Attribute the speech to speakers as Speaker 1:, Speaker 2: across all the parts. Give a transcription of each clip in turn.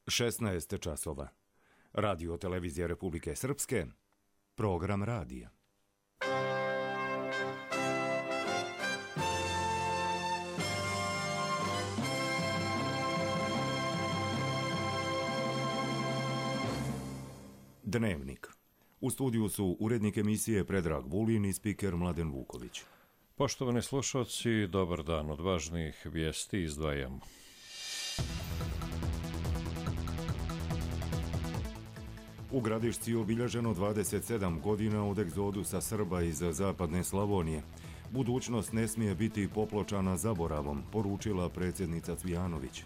Speaker 1: 16 časova. Radio televizija Republike Srpske, program radija. Dnevnik. U studiju su urednik emisije Predrag Vulin i spiker Mladen Vuković.
Speaker 2: Poštovani slušalci, dobar dan. Od važnijih vijesti izdvajamo.
Speaker 1: U Gradišci je obilježeno 27 godina od egzodusa Srba iz zapadne Slavonije. Budućnost ne smije biti popločana zaboravom, poručila predsjednica Cvijanović.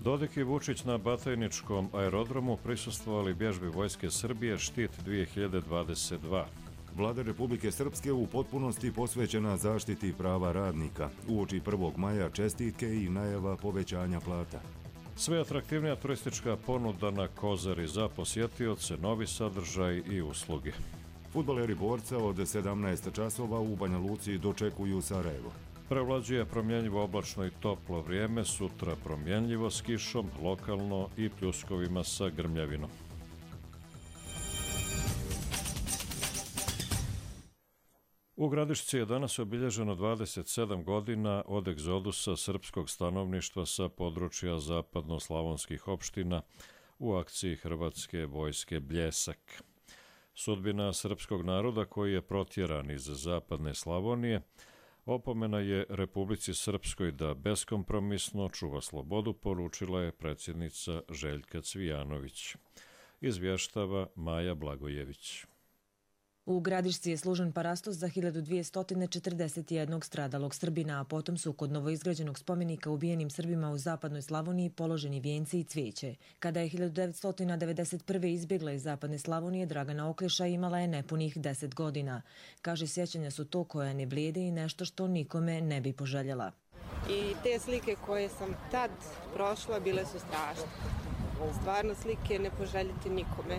Speaker 2: Dodik i Vučić na Batajničkom aerodromu prisustvovali vježbi Vojske Srbije Štit 2022.
Speaker 1: Vlada Republike Srpske u potpunosti posvećena zaštiti prava radnika. Uoči 1. maja čestitke i najava povećanja plata.
Speaker 2: Sve atraktivnija turistička ponuda na Kozari za posjetioce, novi sadržaj i usluge.
Speaker 1: Fudbaleri Borca od 17 časova u Banja Luci dočekuju Sarajevo.
Speaker 2: Prevlađuje promjenjivo oblačno i toplo vrijeme, sutra promjenjivo s kišom, lokalno i pljuskovima sa grmljavinom. U Gradišci je danas obilježeno 27 godina od egzodusa srpskog stanovništva sa područja zapadno-slavonskih opština u akciji Hrvatske vojske Bljesak. Sudbina srpskog naroda koji je protjeran iz zapadne Slavonije opomena je Republici Srpskoj da beskompromisno čuva slobodu, poručila je predsjednica Željka Cvijanović. Izvještava Maja Blagojević.
Speaker 3: U Gradišci je služen parastos za 1241 stradalog Srbina, a potom su kod novoizgrađenog spomenika ubijenim Srbima u zapadnoj Slavoniji položeni vijenci i cvijeće. Kada je 1991. izbjegla iz zapadne Slavonije, Dragana Okleša imala je nepunih 10 godina. Kaže, sjećanja su to koja ne blijede i nešto što nikome ne bi poželjela.
Speaker 4: I te slike koje sam tad prošla bile su strašne. Stvarno slike ne poželjeti nikome.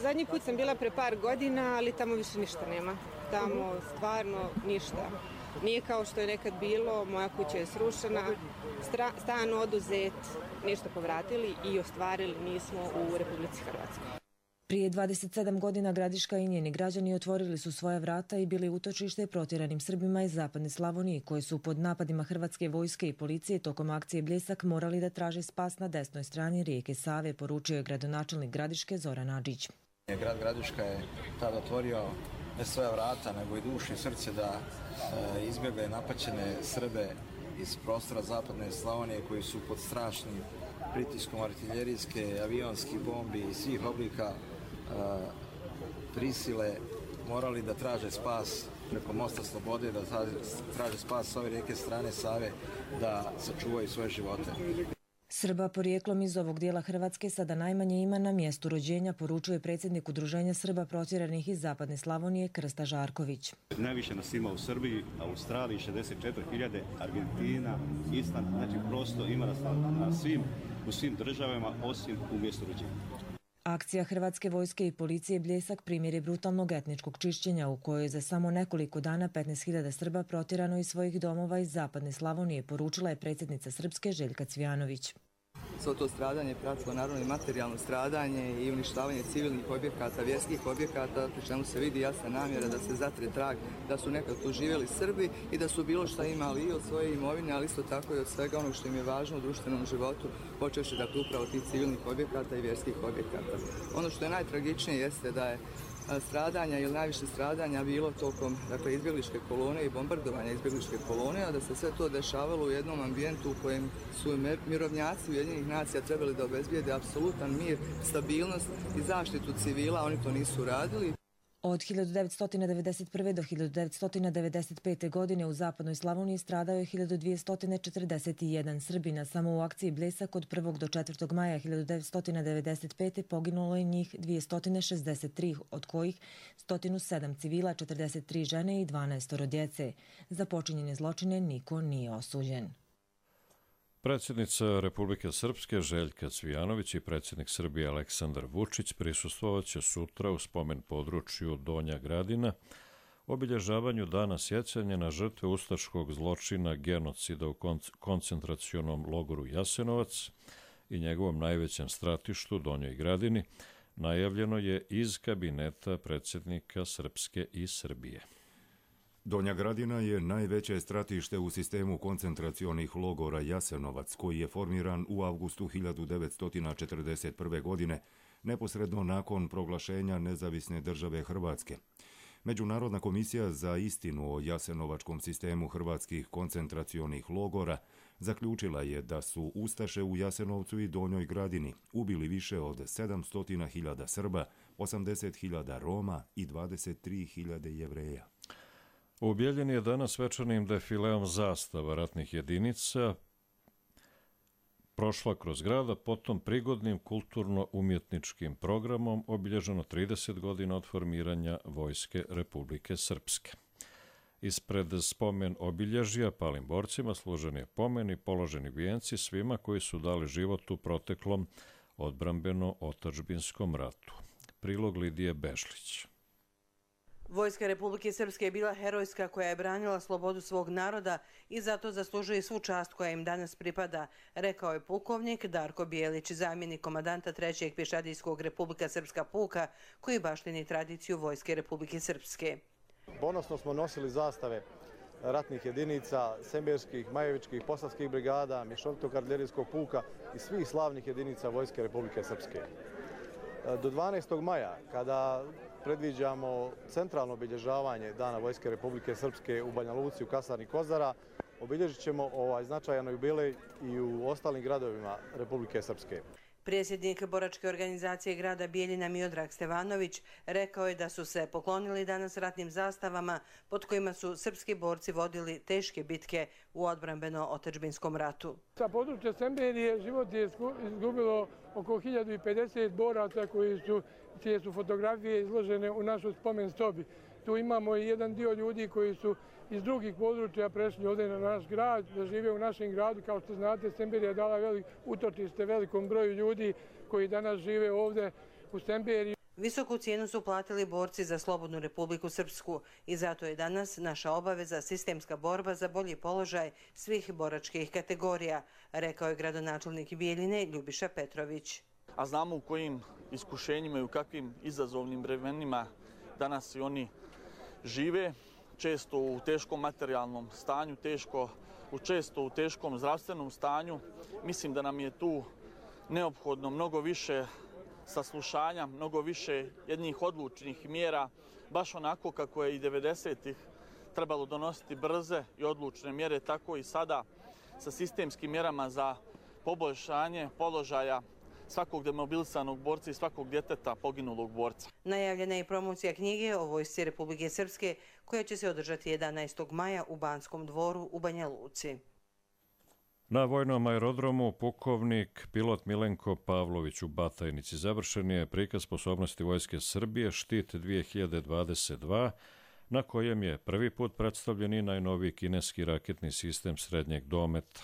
Speaker 4: Zadnji put sam bila pre par godina, ali tamo više ništa nema. Tamo stvarno ništa. Nije kao što je nekad bilo, moja kuća je srušena, stan oduzet, ništa povratili i ostvarili nismo u Republici Hrvatskoj.
Speaker 3: Prije 27 godina Gradiška i njeni građani otvorili su svoja vrata i bili utočište protjeranim Srbima iz zapadne Slavonije, koji su pod napadima Hrvatske vojske i policije tokom akcije Bljesak morali da traže spas na desnoj strani rijeke Save, poručio je gradonačelnik Gradiške Zoran Adžić.
Speaker 5: Grad Gradiška je tada otvorio ne svoja vrata, nego i dušu i srce da izbjegle napaćene Srbe iz prostora zapadne Slavonije koji su pod strašnim pritiskom artiljerijske, avionskih bombi i svih oblika prisile morali da traže spas preko mosta Slobode, da traže spas s ove rijeke strane Save, da sačuvaju svoje živote.
Speaker 3: Srba porijeklom iz ovog dijela Hrvatske sada najmanje ima na mjestu rođenja, poručuje predsjednik Udruženja Srba protjeranih iz zapadne Slavonije Krsta Žarković.
Speaker 6: Najviše nas ima u Srbiji, Australiji 64.000, Argentina, Island, znači prosto ima nas u svim državama osim u mjestu rođenja.
Speaker 3: Akcija Hrvatske vojske i policije Bljesak primjer je brutalnog etničkog čišćenja u kojoj je za samo nekoliko dana 15.000 Srba protjerano iz svojih domova iz zapadne Slavonije, poručila je predsjednica Srpske Željka Cvijanović.
Speaker 7: Svo to stradanje pratilo naravno i materijalno stradanje i uništavanje civilnih objekata, vjerskih objekata, pri čemu se vidi jasna namjera da se zatre trag da su nekad tu živjeli Srbi i da su bilo šta imali i od svoje imovine, ali isto tako i od svega onog što im je važno u društvenom životu, počevši dakle upravo tih civilnih objekata i vjerskih objekata. Ono što je najtragičnije jeste da je stradanja ili najviše stradanja bilo tokom izbjegličke kolone i bombardovanja izbjegličke kolone, a da se sve to dešavalo u jednom ambijentu u kojem su mirovnjaci Ujedinjenih nacija trebali da obezbijede apsolutan mir, stabilnost i zaštitu civila, oni to nisu radili.
Speaker 3: Od 1991. do 1995. godine u zapadnoj Slavoniji stradao je 1241 Srbina. Samo u akciji Bljesak od 1. do 4. maja 1995. poginulo je njih 263, od kojih 107 civila, 43 žene i 12 djece. Za počinjene zločine niko nije osuđen.
Speaker 2: Predsjednica Republike Srpske Željka Cvijanović i predsjednik Srbije Aleksandar Vučić prisustvovaće sutra u spomen području Donja Gradina obilježavanju dana sjećanja na žrtve ustaškog zločina genocida u koncentracionom logoru Jasenovac i njegovom najvećem stratištu, Donjoj Gradini, najavljeno je iz kabineta predsjednika Srpske i Srbije.
Speaker 1: Donja Gradina je najveće stratište u sistemu koncentracionih logora Jasenovac, koji je formiran u avgustu 1941. godine, neposredno nakon proglašenja nezavisne države Hrvatske. Međunarodna komisija za istinu o jasenovačkom sistemu hrvatskih koncentracionih logora zaključila je da su ustaše u Jasenovcu i Donjoj Gradini ubili više od 700.000 Srba, 80.000 Roma i 23.000 Jevreja.
Speaker 2: U Bijeljini je danas svečanim defileom zastava ratnih jedinica prošla kroz grada, potom prigodnim kulturno-umjetničkim programom obilježeno 30 godina od formiranja Vojske Republike Srpske. Ispred spomen obilježja palim borcima služen je pomen i položeni vijenci svima koji su dali život u proteklom odbrambeno-otadžbinskom ratu. Prilog Lidije Bešlić.
Speaker 8: Vojska Republike Srpske je bila herojska koja je branila slobodu svog naroda i zato zaslužuje svu čast koja im danas pripada, rekao je pukovnik Darko Bijelić, zamjenik komandanta 3. pješadijskog Republika Srpska puka, koji baštini tradiciju Vojske Republike Srpske.
Speaker 9: Ponosno smo nosili zastave ratnih jedinica, semberskih, majevičkih, posavskih brigada, mješovitog artiljerijskog puka i svih slavnih jedinica Vojske Republike Srpske. Do 12. maja, kada predviđamo centralno obilježavanje Dana Vojske Republike Srpske u Banja Luci, u kasarni Kozara, obilježit ćemo ovaj značajan jubilej i u ostalim gradovima Republike Srpske.
Speaker 8: Predsjednik boračke organizacije grada Bijeljina Miodrag Stevanović rekao je da su se poklonili danas ratnim zastavama pod kojima su srpski borci vodili teške bitke u odbrambeno-otadžbinskom ratu.
Speaker 10: Sa područja Semberije život je izgubilo oko 1050 boraca čije su fotografije izložene u našoj spomen sobi. Tu imamo i jedan dio ljudi koji su iz drugih područja prešli ovdje na naš grad, da žive u našem gradu. Kao što znate, Semberija je dala utočište velikom broju ljudi koji danas žive ovdje u Semberiji.
Speaker 8: Visoku cijenu su platili borci za slobodnu Republiku Srpsku i zato je danas naša obaveza sistemska borba za bolji položaj svih boračkih kategorija, rekao je gradonačelnik Bijeljine Ljubiša Petrović.
Speaker 11: A znamo u kojim iskušenjima i u kakvim izazovnim vremenima danas i oni žive, često u teškom materijalnom stanju, često u teškom zdravstvenom stanju. Mislim da nam je tu neophodno mnogo više saslušanja, mnogo više jednih odlučnih mjera, baš onako kako je i 90-ih trebalo donositi brze i odlučne mjere, tako i sada sa sistemskim mjerama za poboljšanje položaja svakog demobilisanog borca i svakog djeteta poginulog borca.
Speaker 8: Najavljena je i promocija knjige o Vojsci Republike Srpske koja će se održati 11. maja u Banskom dvoru u Banja Luci.
Speaker 2: Na vojnom aerodromu pukovnik pilot Milenko Pavlović u Batajnici završen je prikaz sposobnosti Vojske Srbije Štit 2022, na kojem je prvi put predstavljen i najnoviji kineski raketni sistem srednjeg dometa.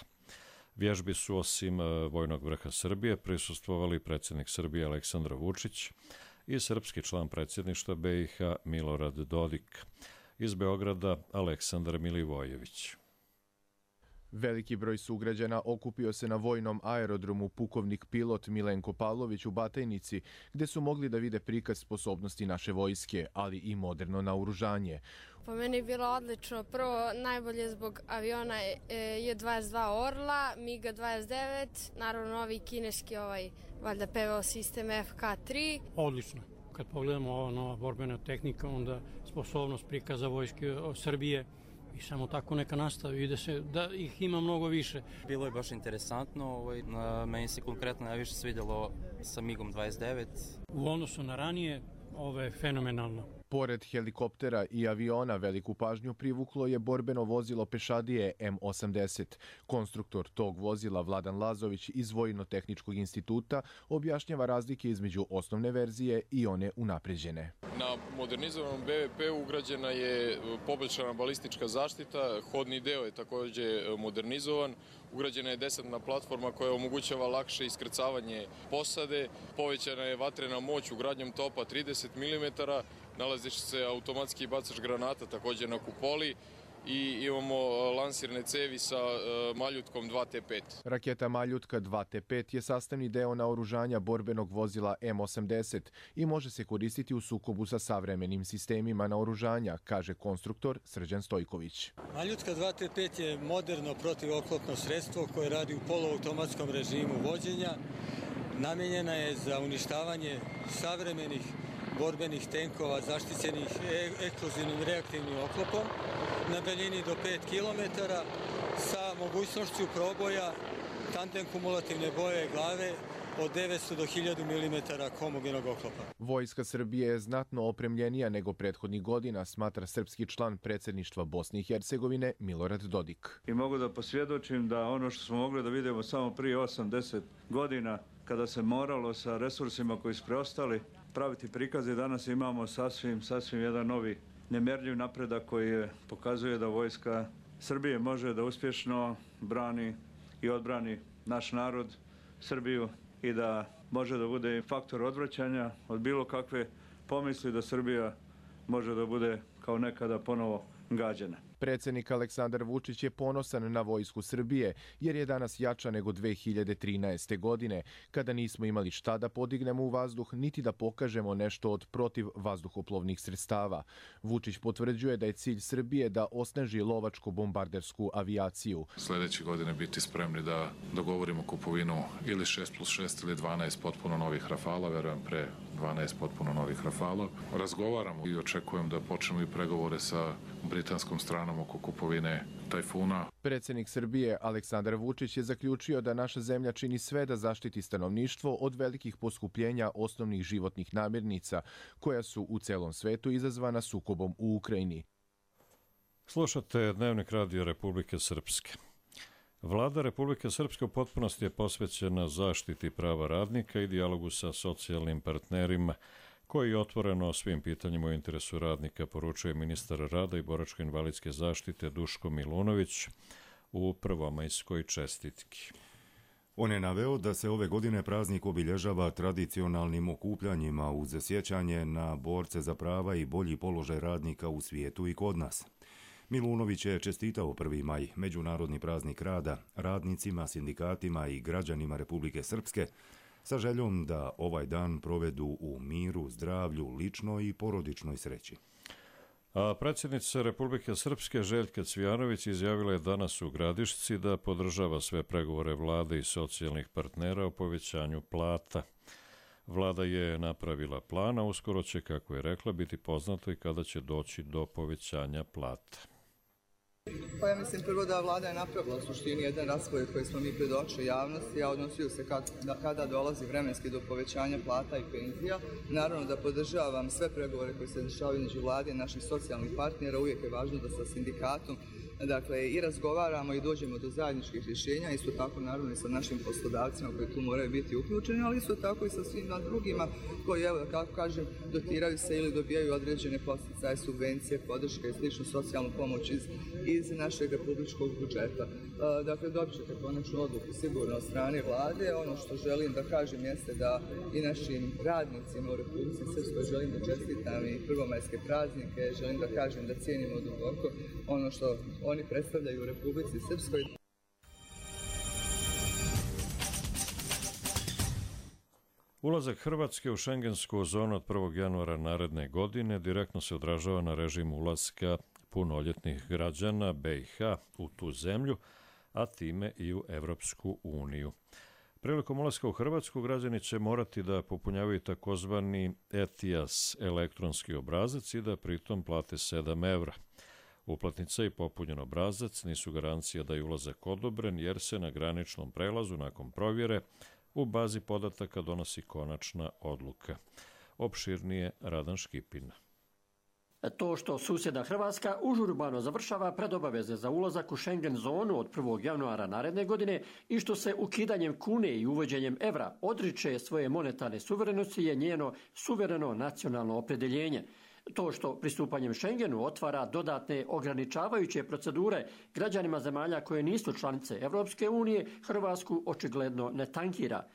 Speaker 2: Vježbi su osim vojnog vrha Srbije prisustvovali predsjednik Srbije Aleksandar Vučić i srpski član predsjedništva BiH Milorad Dodik. Iz Beograda Aleksandar Milivojević.
Speaker 12: Veliki broj sugrađana okupio se na vojnom aerodromu pukovnik pilot Milenko Pavlović u Batajnici, gdje su mogli da vide prikaz sposobnosti naše vojske, ali i moderno naoružanje.
Speaker 13: Po meni je bilo odlično. Prvo, najbolje zbog aviona je 22 Orla, MiG 29, naravno novi kineski valjda PVO sistem FK3.
Speaker 14: Odlično. Kad pogledamo ova nova borbena tehnika, onda sposobnost prikaza vojske Srbije i samo tako neka nastavi, vide se da ih ima mnogo više.
Speaker 15: Bilo je baš interesantno, meni se konkretno najviše svidjelo sa MiG-om 29.
Speaker 14: U odnosu na ranije, ovo je fenomenalno.
Speaker 12: Pored helikoptera i aviona veliku pažnju privuklo je borbeno vozilo pešadije M80. Konstruktor tog vozila Vladan Lazović iz Vojno-tehničkog instituta objašnjava razlike između osnovne verzije i one unapređene.
Speaker 16: Na modernizovanom BVP ugrađena je poboljšana balistička zaštita, hodni deo je također modernizovan, ugrađena je desantna platforma koja omogućava lakše iskrcavanje posade, povećana je vatrena moć ugradnjom topa 30 mm, nalazi se automatski bacač granata također na kupoli i imamo lansirne cevi sa Maljutkom 2T5.
Speaker 12: Raketa Maljutka 2T5 je sastavni deo naoružanja borbenog vozila M80 i može se koristiti u sukobu sa savremenim sistemima naoružanja, kaže konstruktor Srđan Stojković.
Speaker 17: Maljutka 2T5 je moderno protivoklopno sredstvo koje radi u poluautomatskom režimu vođenja. Namijenjena je za uništavanje savremenih borbenih tenkova zaštićenih eksplozivnim reaktivnim oklopom na daljini do 5 km sa mogućnošću proboja tandem kumulativne boje glave od 900 do 1000 mm homogenog oklopa.
Speaker 12: Vojska Srbije je znatno opremljenija nego prethodnih godina, smatra srpski član predsjedništva Bosne i Hercegovine Milorad Dodik.
Speaker 18: I mogu da posvjedočim da ono što smo mogli da vidimo samo prije 8-10 godina, kada se moralo sa resursima koji su preostali praviti prikaze, danas imamo sasvim jedan novi nemjerljiv napredak koji pokazuje da vojska Srbije može da uspješno brani i odbrani naš narod, Srbiju, i da može da bude faktor odvraćanja od bilo kakve pomisli da Srbija može da bude kao nekada ponovo gađana.
Speaker 12: Predsjednik Aleksandar Vučić je ponosan na vojsku Srbije jer je danas jača nego 2013. godine, kada nismo imali šta da podignemo u vazduh niti da pokažemo nešto od protiv vazduhoplovnih sredstava. Vučić potvrđuje da je cilj Srbije da osnaži lovačko-bombardersku avijaciju.
Speaker 19: Sljedeće godine biti spremni da dogovorimo kupovinu ili 6+6 ili 12 potpuno novih Rafala, verujem pre 12 potpuno novih Rafala. Razgovaramo i očekujem da počnemo i pregovore sa britanskom stranom oko kupovine Tajfuna.
Speaker 12: Predsjednik Srbije Aleksandar Vučić je zaključio da naša zemlja čini sve da zaštiti stanovništvo od velikih poskupljenja osnovnih životnih namirnica koja su u celom svetu izazvana sukobom u Ukrajini.
Speaker 2: Slušate Dnevnik Radio Republike Srpske. Vlada Republike Srpske u potpunosti je posvećena zaštiti prava radnika i dijalogu sa socijalnim partnerima, koji otvoreno o svim pitanjima u interesu radnika, poručuje ministar rada i boračko-invalidske zaštite Duško Milunović u prvomajskoj čestitki.
Speaker 1: On je naveo da se ove godine praznik obilježava tradicionalnim okupljanjima uz sjećanje na borce za prava i bolji položaj radnika u svijetu i kod nas. Milunović je čestitao 1. maj, međunarodni praznik rada, radnicima, sindikatima i građanima Republike Srpske, sa željom da ovaj dan provedu u miru, zdravlju, ličnoj i porodičnoj sreći.
Speaker 2: A predsjednica Republike Srpske Željka Cvijanović izjavila je danas u Gradišci da podržava sve pregovore vlade i socijalnih partnera o povećanju plata. Vlada je napravila plan, a uskoro će, kako je rekla, biti poznato i kada će doći do povećanja plata.
Speaker 7: Pa ja mislim prvo da vlada je napravila u suštini jedan raspored koji smo mi predočili javnosti, a odnosio se kada dolazi vremenski do povećanja plata i penzija. Naravno da podržavam sve pregovore koji se dešavaju između vlade i naših socijalnih partnera. Uvijek je važno da sa sindikatom i razgovaramo i dođemo do zajedničkih rješenja, isto tako naravno i sa našim poslodavcima koji tu moraju biti uključeni, ali isto tako i sa svima drugima koji, evo, kako kažem, dotiraju se ili dobijaju određene posticaje, subvencije, podrške i sličnu socijalnu pomoć iz našeg republičkog budžeta. Dakle, dobit ćete konačnu odluku sigurno od strane vlade. Ono što želim da kažem jeste da i našim radnicima u Republici Srpskoj želim da čestitam i prvomajske praznike, želim da kažem da cijenimo duboko ono što oni predstavljaju u Republici Srpskoj.
Speaker 2: Ulazak Hrvatske u šengensku zonu od 1. januara naredne godine direktno se odražava na režim ulaska punoljetnih građana BiH u tu zemlju, a time i u Evropsku uniju. Prilikom ulaska u Hrvatsku građani će morati da popunjavaju takozvani ETIAS elektronski obrazac i da pritom plate 7 evra. Uplatnica i popunjen obrazac nisu garancija da je ulazak odobren, jer se na graničnom prelazu nakon provjere u bazi podataka donosi konačna odluka. Opširnije Radan Škipin.
Speaker 20: To što susjedna Hrvatska užurbano završava predobaveze za ulazak u Schengen zonu od 1. januara naredne godine i što se ukidanjem kune i uvođenjem evra odriče svoje monetarne suverenosti je njeno suvereno nacionalno opredjeljenje. To što pristupanjem Schengenu otvara dodatne ograničavajuće procedure građanima zemalja koje nisu članice Evropske unije, Hrvatsku očigledno ne tankira.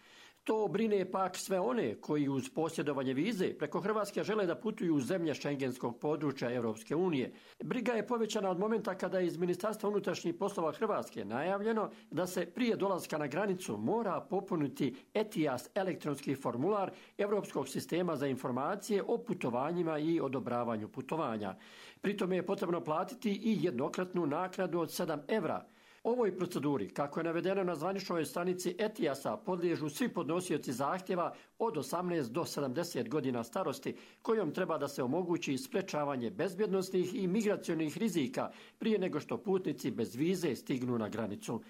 Speaker 20: To brine pak sve one koji uz posjedovanje vize preko Hrvatske žele da putuju u zemlje šengenskog područja Europske unije. Briga je povećana od momenta kada je iz Ministarstva unutrašnjih poslova Hrvatske najavljeno da se prije dolaska na granicu mora popuniti ETIAS elektronski formular Europskog sistema za informacije o putovanjima i odobravanju putovanja. Pritome je potrebno platiti i jednokratnu naknadu od 7 evra. Ovoj proceduri, kako je navedeno na zvaničnoj stranici ETIAS-a, podliježu svi podnosioci zahtjeva od 18 do 70 godina starosti, kojom treba da se omogući sprečavanje bezbjednosnih i migracionih rizika prije nego što putnici bez vize stignu na granicu.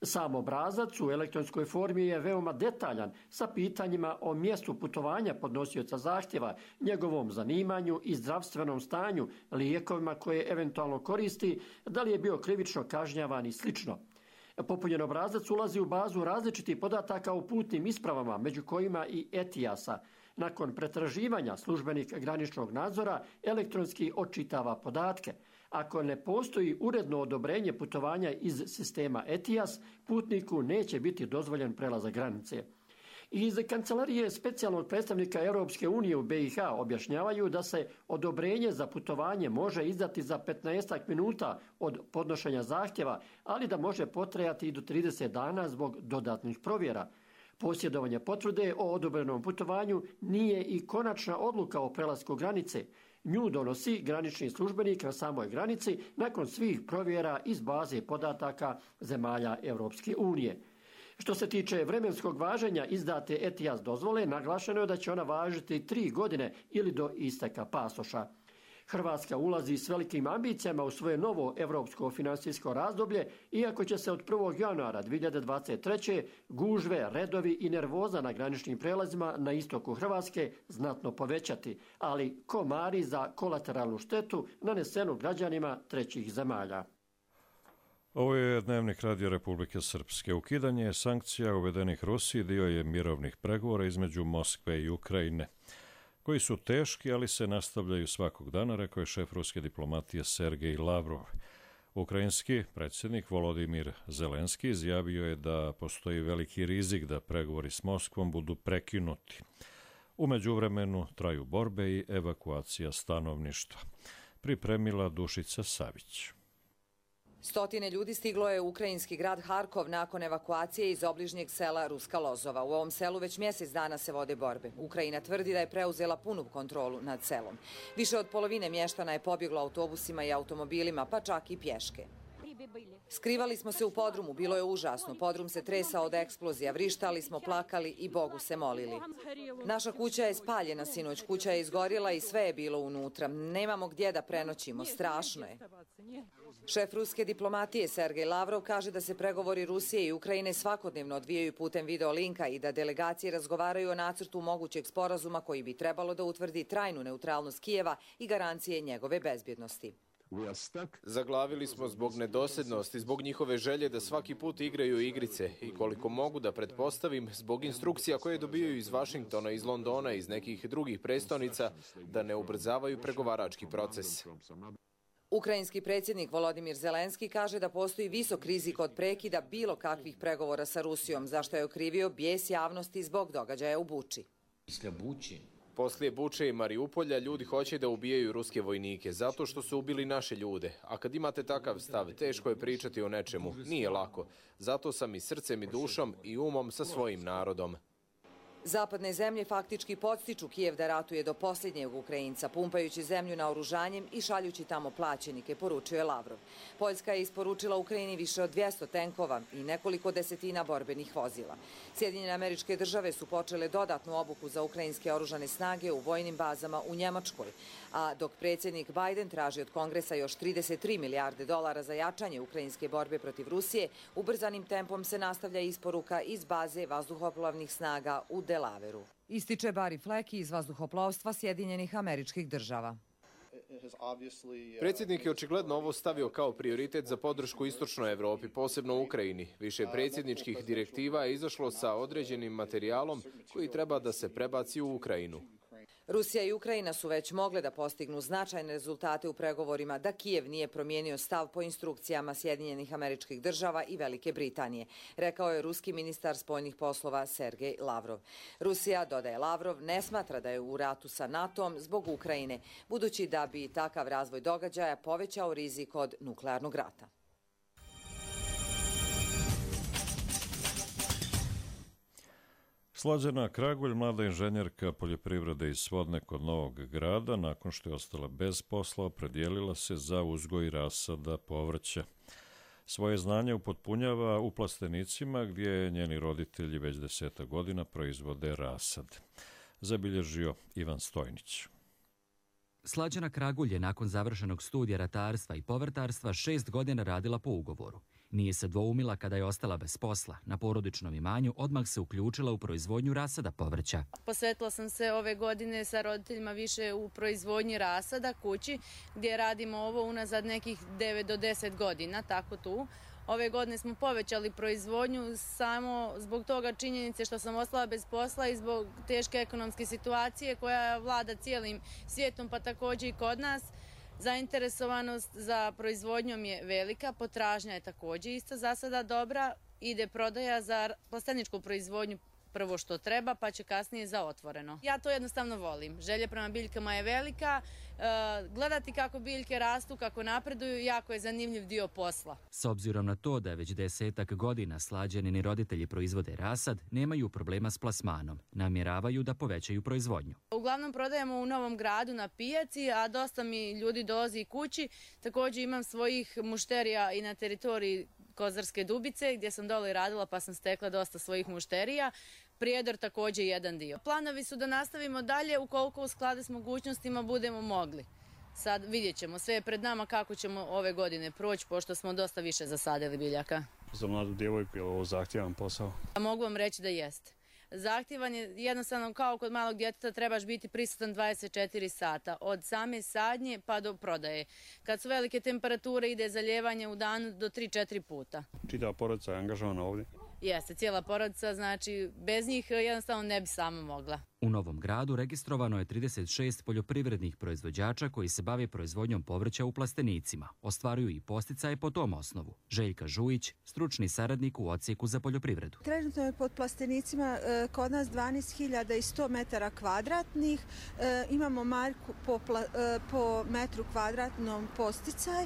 Speaker 20: Sam obrazac u elektronskoj formi je veoma detaljan sa pitanjima o mjestu putovanja podnosioca zahtjeva, njegovom zanimanju i zdravstvenom stanju, lijekovima koje eventualno koristi, da li je bio krivično kažnjavan i slično. Popunjen obrazac ulazi u bazu različitih podataka o putnim ispravama, među kojima i ETIAS-a. Nakon pretraživanja službenik graničnog nadzora elektronski odčitava podatke. Ako ne postoji uredno odobrenje putovanja iz sistema ETIAS, putniku neće biti dozvoljen prelazak granice. Iz kancelarije specijalnog predstavnika Europske unije u BiH objašnjavaju da se odobrenje za putovanje može izdati za 15 minuta od podnošenja zahtjeva, ali da može potrajati i do 30 dana zbog dodatnih provjera. Posjedovanje potvrde o odobrenom putovanju nije i konačna odluka o prelasku granice. Nju donosi granični službenik na samoj granici nakon svih provjera iz baze podataka zemalja Europske unije. Što se tiče vremenskog važenja izdate ETIAS dozvole, naglašeno je da će ona važiti 3 godine ili do isteka pasoša. Hrvatska ulazi s velikim ambicijama u svoje novo evropsko finansijsko razdoblje, iako će se od 1. januara 2023. gužve, redovi i nervoza na graničnim prelazima na istoku Hrvatske znatno povećati, ali komari za kolateralnu štetu nanesenu građanima trećih zemalja.
Speaker 2: Ovo je Dnevnik Radio Republike Srpske. Ukidanje sankcija uvedenih Rusiji dio je mirovnih pregovora između Moskve i Ukrajine, koji su teški, ali se nastavljaju svakog dana, rekao je šef ruske diplomatije Sergej Lavrov. Ukrajinski predsjednik Volodimir Zelenski izjavio je da postoji veliki rizik da pregovori s Moskvom budu prekinuti. U međuvremenu traju borbe i evakuacija stanovništva. Pripremila Dušica Savić.
Speaker 21: Stotine ljudi stiglo je u ukrajinski grad Harkov nakon evakuacije iz obližnjeg sela Ruska Lozova. U ovom selu već mjesec dana se vode borbe. Ukrajina tvrdi da je preuzela punu kontrolu nad selom. Više od polovine mještana je pobjeglo autobusima i automobilima, pa čak i pješke. Skrivali smo se u podrumu, bilo je užasno. Podrum se tresao od eksplozija, vrištali smo, plakali i Bogu se molili. Naša kuća je spaljena sinoć, kuća je izgorjela i sve je bilo unutra. Nemamo gdje da prenoćimo, strašno je. Šef ruske diplomatije Sergej Lavrov kaže da se pregovori Rusije i Ukrajine svakodnevno odvijaju putem videolinka i da delegacije razgovaraju o nacrtu mogućeg sporazuma koji bi trebalo da utvrdi trajnu neutralnost Kijeva i garancije njegove bezbjednosti.
Speaker 22: Zaglavili smo zbog nedosljednosti, zbog njihove želje da svaki put igraju igrice i koliko mogu da pretpostavim, zbog instrukcija koje dobijaju iz Vašingtona, iz Londona, iz nekih drugih prestonica, da ne ubrzavaju pregovarački proces.
Speaker 21: Ukrajinski predsjednik Volodimir Zelenski kaže da postoji visok rizik od prekida bilo kakvih pregovora sa Rusijom, zašto je okrivio bijes javnosti zbog događaja u Buči.
Speaker 22: Poslije Buče i Mariupolja ljudi hoće da ubijaju ruske vojnike zato što su ubili naše ljude. A kad imate takav stav, teško je pričati o nečemu. Nije lako. Zato sam i srcem i dušom i umom sa svojim narodom.
Speaker 21: Zapadne zemlje faktički podstiču Kijev da ratuje do posljednjeg Ukrajinca, pumpajući zemlju naoružanjem i šaljući tamo plaćenike, poručio je Lavrov. Poljska je isporučila Ukrajini više od 200 tenkova i nekoliko desetina borbenih vozila. Sjedinjene Američke Države su počele dodatnu obuku za ukrajinske oružane snage u vojnim bazama u Njemačkoj, a dok predsjednik Biden traži od Kongresa još 33 milijarde dolara za jačanje ukrajinske borbe protiv Rusije, ubrzanim tempom se nastavlja isporuka iz baze vazduhoplovnih snaga u Delaveru. Ističe Barry Fleck iz vazduhoplovstva Sjedinjenih Američkih Država.
Speaker 22: Predsjednik je očigledno ovo stavio kao prioritet za podršku istočnoj Evropi, posebno Ukrajini. Više predsjedničkih direktiva je izašlo sa određenim materijalom koji treba da se prebaci u Ukrajinu.
Speaker 21: Rusija i Ukrajina su već mogle da postignu značajne rezultate u pregovorima da Kijev nije promijenio stav po instrukcijama Sjedinjenih Američkih Država i Velike Britanije, rekao je ruski ministar spoljnih poslova Sergej Lavrov. Rusija, dodaje Lavrov, ne smatra da je u ratu sa NATO-om zbog Ukrajine, budući da bi takav razvoj događaja povećao rizik od nuklearnog rata.
Speaker 2: Slađana Kragulj, mlada inženjerka poljoprivrede iz Svodne kod Novog Grada, nakon što je ostala bez posla, opredijelila se za uzgoj rasada povrća. Svoje znanje upotpunjava u plastenicima gdje njeni roditelji već 10 godina proizvode rasad. Zabilježio Ivan Stojnić.
Speaker 4: Slađana Kragulj je nakon završenog studija ratarstva i povrtarstva 6 godina radila po ugovoru. Nije se dvoumila kada je ostala bez posla. Na porodičnom imanju odmah se uključila u proizvodnju rasada povrća.
Speaker 5: Posvetila sam se ove godine sa roditeljima više u proizvodnji rasada kući, gdje radimo ovo unazad nekih 9 do 10 godina, tako tu. Ove godine smo povećali proizvodnju samo zbog toga činjenice što sam ostala bez posla i zbog teške ekonomske situacije koja vlada cijelim svijetom, pa također i kod nas. Zainteresovanost za proizvodnjom je velika, potražnja je također isto za sada dobra, ide prodaja za plasteničku proizvodnju prvo što treba, pa će kasnije za otvoreno. Ja to jednostavno volim. Želja prema biljkama je velika, gledati kako biljke rastu, kako napreduju, jako je zanimljiv dio posla.
Speaker 4: S obzirom na to da već 10 godina Slađanini roditelji proizvode rasad, nemaju problema s plasmanom. Namjeravaju da povećaju proizvodnju.
Speaker 5: Uglavnom prodajemo u Novom Gradu na pijaci, a dosta mi ljudi dolazi kući. Također imam svojih mušterija i na teritoriji Kozarske Dubice, gdje sam dole radila pa sam stekla dosta svojih mušterija. Prijedor također jedan dio. Planovi su da nastavimo dalje ukoliko u skladu s mogućnostima budemo mogli. Sad vidjet ćemo, sve je pred nama kako ćemo ove godine proći, pošto smo dosta više zasadili biljaka.
Speaker 23: Za mladu djevojku je ovo zahtjevan posao?
Speaker 5: Mogu vam reći da jeste. Zahtjevan je jednostavno kao kod malog djeteta, trebaš biti prisutan 24 sata, od same sadnje pa do prodaje. Kad su velike temperature ide zalijevanje u danu do 3-4 puta.
Speaker 23: Čitava porodica je angažovana ovdje?
Speaker 5: Jeste, cijela porodica, znači bez njih jednostavno ne bi sama mogla.
Speaker 4: U Novom Gradu registrovano je 36 poljoprivrednih proizvođača koji se bave proizvodnjom povrća u plastenicima. Ostvaruju i posticaje po tom osnovu. Željka Žujić, stručni saradnik u odsjeku za poljoprivredu.
Speaker 24: Trenutno je pod plastenicima kod nas 12.100 metara kvadratnih. Imamo marku po metru kvadratnom posticaj.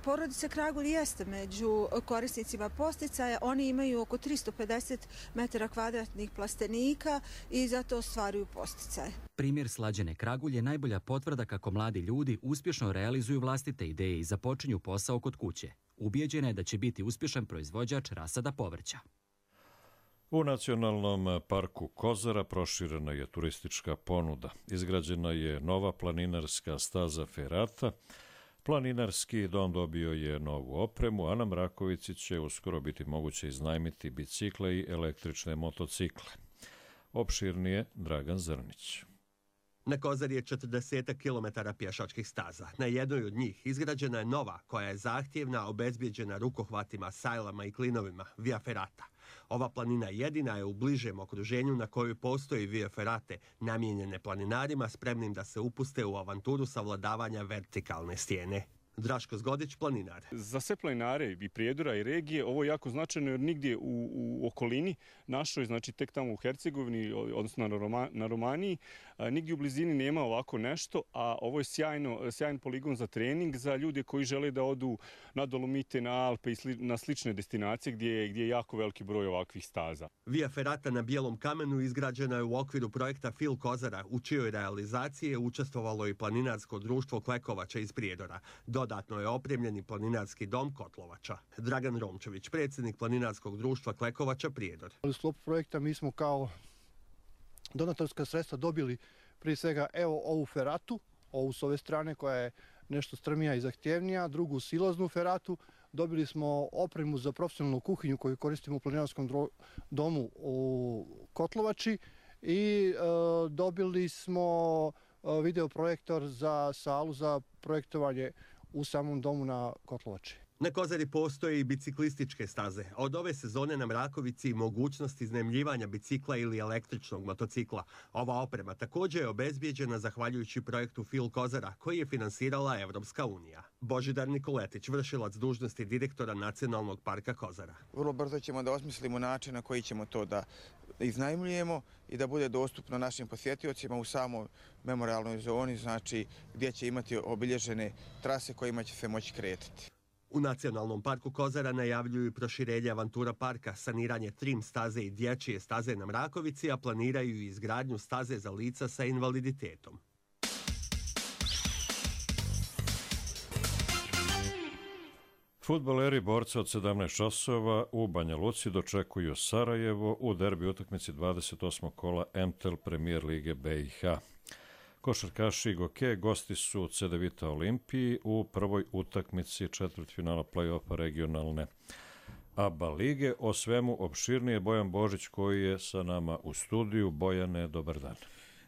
Speaker 24: Porodica Kragulj jeste među korisnicima posticaja. Oni imaju oko 350 metara kvadratnih plastenika i zato ostvaruju posticaje.
Speaker 4: Primjer Slađane Kragulj je najbolja potvrda kako mladi ljudi uspješno realizuju vlastite ideje i započinju posao kod kuće. Ubijeđena je da će biti uspješan proizvođač rasada povrća.
Speaker 2: U Nacionalnom parku Kozara proširena je turistička ponuda. Izgrađena je nova planinarska staza Ferata. Planinarski dom dobio je novu opremu, a na Mrakovici će uskoro biti moguće iznajmiti bicikle i električne motocikle. Opširnije Dragan Zrnić.
Speaker 25: Na Kozari je 40 km pješačkih staza. Na jednoj od njih izgrađena je nova, koja je zahtjevna, obezbijeđena rukohvatima, sajlama i klinovima, Via Ferrata. Ova planina jedina je u bližem okruženju na kojoj postoji Via Ferrate, namijenjene planinarima spremnim da se upuste u avanturu savladavanja vertikalne stijene. Draško Zgodić, planinar.
Speaker 23: Za sve planinare i Prijedora i regije ovo je jako značajno jer nigdje u okolini našoj, znači tek tamo u Hercegovini, odnosno na Romaniji, nigdje u blizini nema ovako nešto, a ovo je sjajan poligon za trening za ljude koji žele da odu na Dolomite, na Alpe i na slične destinacije gdje je jako veliki broj ovakvih staza.
Speaker 25: Via Ferrata na Bijelom kamenu izgrađena je u okviru projekta Fil Kozara, u čijoj realizaciji je učestvovalo i planinarsko društvo Klekovača iz Prijedora. Dodatno je opremljeni planinarski dom Kotlovača. Dragan Romčević, predsjednik planinarskog društva Klekovača Prijedor.
Speaker 26: U sklopu projekta mi smo kao donatorska sredstva dobili prije svega ovu feratu, ovu s ove strane koja je nešto strmija i zahtjevnija, drugu siloznu feratu. Dobili smo opremu za profesionalnu kuhinju koju koristimo u planinarskom domu u Kotlovači i dobili smo videoprojektor za salu za projektovanje u samom domu na Kotlovači.
Speaker 25: Na Kozari postoje i biciklističke staze, a od ove sezone na Mrakovici mogućnost iznajmljivanja bicikla ili električnog motocikla. Ova oprema također je obezbijeđena zahvaljujući projektu Fil Kozara, koji je finansirala Evropska unija. Božidar Nikoletić, vršilac dužnosti direktora Nacionalnog parka Kozara.
Speaker 3: Vrlo brzo ćemo da osmislimo način na koji ćemo to da iznajmljujemo i da bude dostupno našim posjetiocima u samoj memorialnoj zoni, znači gdje će imati obilježene trase kojima će se moći kretati.
Speaker 25: U Nacionalnom parku Kozara najavljuju proširenje Avantura parka, saniranje trim staze i dječje staze na Mrakovici, a planiraju i izgradnju staze za lica sa invaliditetom.
Speaker 2: Fudbaleri borca od 17 časova u Banja Luci dočekuju Sarajevo u derbi utakmici 28. kola MTEL Premier Lige BiH. Košarkaši Goke gosti su Cedevita Olimpiji u prvoj utakmici četvrtfinala play-offa regionalne ABA lige. O svemu opširnije Bojan Božić koji je sa nama u studiju. Bojane, dobar dan.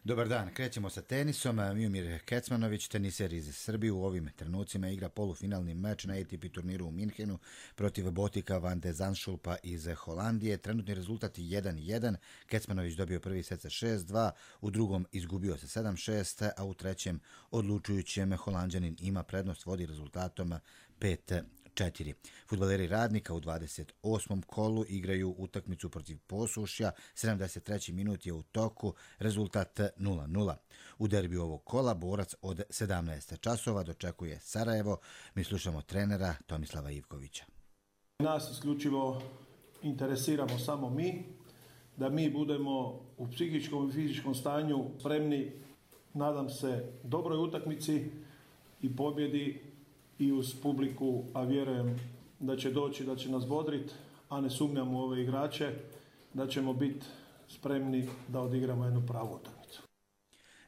Speaker 6: Dobar dan, krećemo sa tenisom. Miomir Kecmanović, teniser iz Srbije, u ovim trenucima igra polufinalni meč na ATP turniru u Minhenu protiv Botika van de Zandschulpa iz Holandije. Trenutni rezultat je 1-1. Kecmanović dobio prvi set sa 6-2, u drugom izgubio sa 7-6, a u trećem odlučujućem Holanđanin ima prednost, vodi rezultatom 5-4. Fudbaleri Radnika u 28. kolu igraju utakmicu protiv Posušja, 73. minut je u toku, rezultat 0-0. U derbiju ovog kola borac od 17 časova dočekuje Sarajevo. Mi slušamo trenera Tomislava Ivkovića.
Speaker 8: Nas isključivo interesiramo samo mi, da mi budemo u psihičkom i fizičkom stanju spremni, nadam se, dobroj utakmici i pobjedi i uz publiku, a vjerujem da će doći, da će nas bodrit, a ne sumnjam u ove igrače, da ćemo biti spremni da odigramo jednu pravu utakmicu.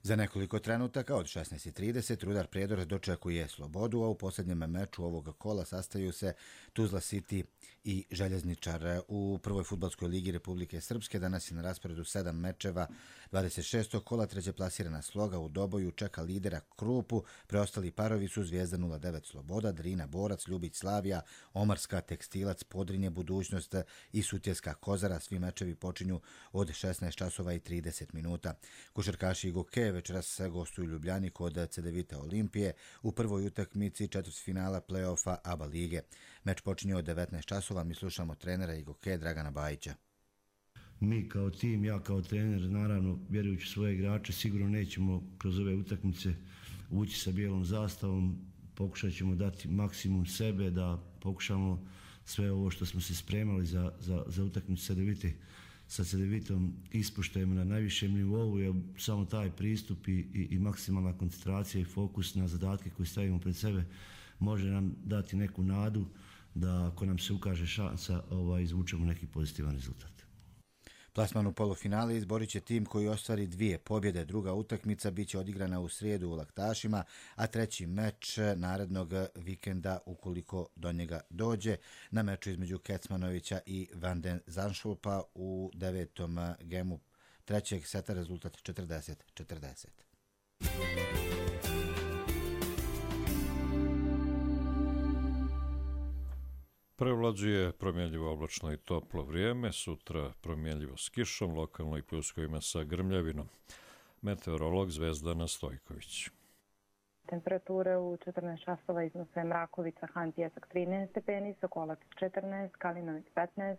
Speaker 6: Za nekoliko trenutaka od 16:30 Rudar Prijedor dočekuje Slobodu, a u posljednjem meču ovog kola sastaju se Tuzla City i Željezničar. U prvoj fudbalskoj ligi Republike Srpske danas je na rasporedu 7 mečeva 26. kola. Treće plasirana Sloga u Doboju čeka lidera Krupu, preostali parovi su Zvijezda 09 Sloboda, Drina Borac, Ljubić Slavija, Omarska Tekstilac, Podrinje Budućnost i Sutjeska Kozara. Svi mečevi počinju od 16:30. Košarkaši Goke večeras se gostuju Ljubljani kod Cedevita Olimpije u prvoj utakmici četvrtfinala play-offa ABA lige. Meč počinje od 19 časova. Mi slušamo trenera Goke Dragana Bajića.
Speaker 9: Mi kao tim, ja kao trener, naravno, vjerujući svoje igrače, sigurno nećemo kroz ove utakmice ući sa bijelom zastavom. Pokušat ćemo dati maksimum sebe, da pokušamo sve ovo što smo se spremali za utakmicu sa Cedevitom ispoštujemo na najvišem nivou, jer samo taj pristup i maksimalna koncentracija i fokus na zadatke koje stavimo pred sebe može nam dati neku nadu da ako nam se ukaže šansa izvučemo neki pozitivan rezultat.
Speaker 6: Plasman u polufinale izborit će tim koji ostvari 2 pobjede. Druga utakmica bit će odigrana u srijedu u Laktašima, a treći meč narednog vikenda ukoliko do njega dođe. Na meču između Kecmanovića i Van den Zandschulpa u 9. gemu trećeg seta rezultat 40-40.
Speaker 2: Prevlađuje promjenljivo oblačno i toplo vrijeme, sutra promjenljivo s kišom, lokalno i pljuskovima sa grmljavinom. Meteorolog Zvezdana Stojković.
Speaker 10: Temperature u 14 časova iznose Mrakovica, Han Pjesak 13 stepeni, Sokolac 14, Kalinović 15,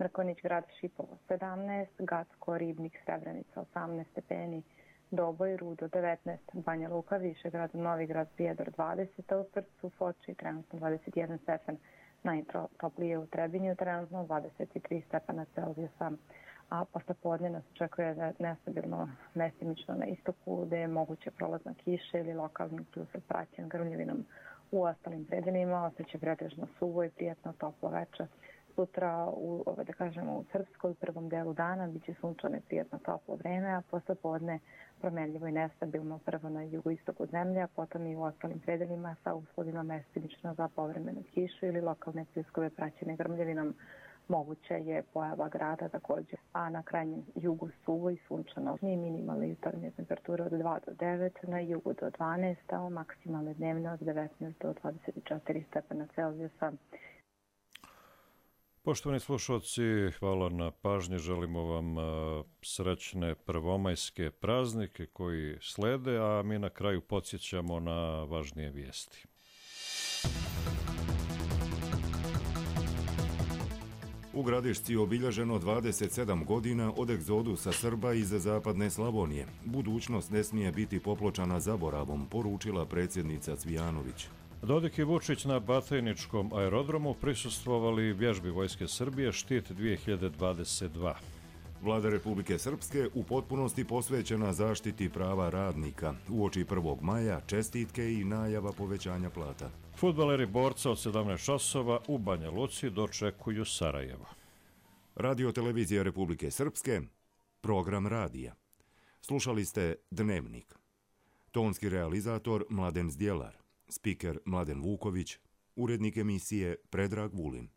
Speaker 10: Mrkonjić grad Šipovo 17, Gacko, Ribnik, Srebrenica 18 stepeni, Doboj, Rudo 19, Banja Luka, Višegrad, Novigrad, Prijedor 20, a u Trcu, Foči trenutno 21 stepen. Najtoplije u Trebinju, trenutno 23 stepena Celzijusa, a posle podne nas očekuje nestabilno mestimično na istoku, gde je moguće prolazna kiša ili lokalni pljusek praćen grmljavinom. U ostalim predelima ostaće pretežno suvo i prijatno toplo veče. Sutra u Srpskoj u prvom delu dana biće sunčano i prijatno toplo vreme, a posle podne promenljivo i nestabilno prvo na jugoistoku zemlje, a potom i u ostalim predelima sa uslovima mestimično za povremenu kišu ili lokalne pljuskove praćene grmljavinom. Moguće je pojava grada također, a na krajnjem jugu suvo i sunčano. Minimalne jutarnje temperature od 2 do 9, na jugu do 12, a maksimalne dnevne od 19 do 24 stepena Celzijusa.
Speaker 2: Poštovani slušalci, hvala na pažnji. Želimo vam srećne prvomajske praznike koji slede, a mi na kraju podsjećamo na važnije vijesti.
Speaker 1: U Gradišci obilježeno 27 godina od egzodusa Srba iz zapadne Slavonije. Budućnost ne smije biti popločana zaboravom, poručila predsjednica Cvijanović.
Speaker 2: Dodik i Vučić na Batajničkom aerodromu prisustvovali vježbi Vojske Srbije Štit 2022.
Speaker 1: Vlada Republike Srpske u potpunosti posvećena zaštiti prava radnika. Uoči 1. maja čestitke i najava povećanja plata.
Speaker 2: Fudbaleri borca od 17 časova u Banja Luci dočekuju Sarajevo.
Speaker 1: Radio televizija Republike Srpske, program radija. Slušali ste Dnevnik. Tonski realizator Mladen Zdjelar, spiker Mladen Vuković, urednik emisije Predrag Vulin.